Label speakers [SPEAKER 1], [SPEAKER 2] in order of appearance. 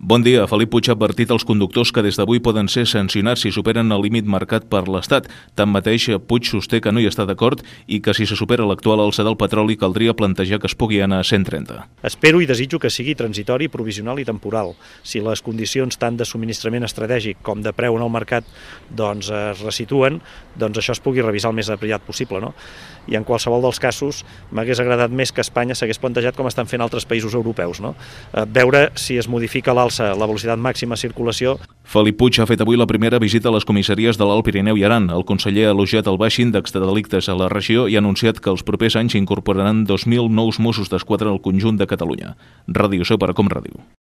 [SPEAKER 1] Bon dia. Felip Puig ha advertit als conductors que des d'avui poden ser sancionats si superen el límit marcat per l'Estat. Tanmateix, Puig sosté que no hi està d'acord i que si se supera l'actual alça del petroli caldria plantejar que es pugui anar a 130.
[SPEAKER 2] Espero i desitjo que sigui transitori, provisional i temporal. Si les condicions tant de subministrament estratègic com de preu en el mercat es resituen, això es pugui revisar el més aviat possible. No? I en qualsevol dels casos m'hagués agradat més que Espanya s'hagués plantejat com estan fent altres països europeus. No? Veure si es modifica l'alça, la velocitat màxima de circulació.
[SPEAKER 1] Felip Puig ha fet avui la primera visita a les comissaries de l'Alt Pirineu i Aran. El conseller ha elogiat el baix índex de delictes a la regió i ha anunciat que els propers anys incorporaran 2.000 nous Mossos d'Esquadra al conjunt de Catalunya. Ràdio Seu per a Com Ràdio.